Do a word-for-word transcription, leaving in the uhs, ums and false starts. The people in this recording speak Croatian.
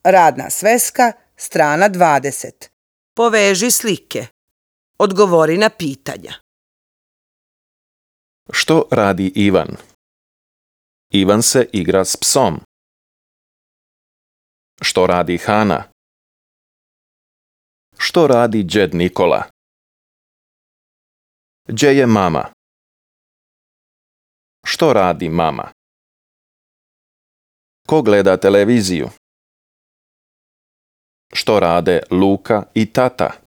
Radna sveska, strana dvadeset. Poveži slike. Odgovori na pitanja. Što radi Ivan? Ivan se igra s psom. Što radi Hana? Što radi džed Nikola? Gdje je mama? Što radi mama? Ko gleda televiziju? Što rade Luka i tata?